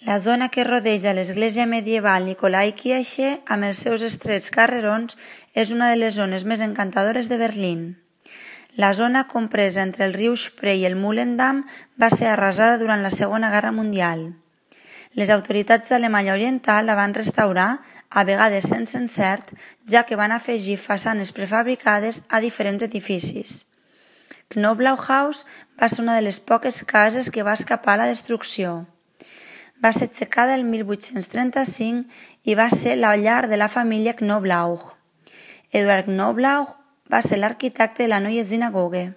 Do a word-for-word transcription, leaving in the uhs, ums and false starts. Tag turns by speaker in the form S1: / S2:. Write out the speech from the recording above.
S1: La zona que rodeja l'església medieval Nikolai Kirche, amb els seus estrets carrerons, és una de les zones més encantadores de Berlín. La zona compresa entre el riu Spree i el Mühlendamm va ser arrasada durant la Segona Guerra Mundial. Les autoritats d'Alemanya Oriental la van restaurar, a vegades sense encert, ja que van afegir façanes prefabricades a diferents edificis. Knoblauchhaus va ser una de les poques cases que va escapar a la destrucció. Va ser aixecada el mil vuit-cents trenta-cinc i va ser la llar de la família Knoblauch. Eduard Knoblauch va ser l'arquitecte de la Neue Synagoge.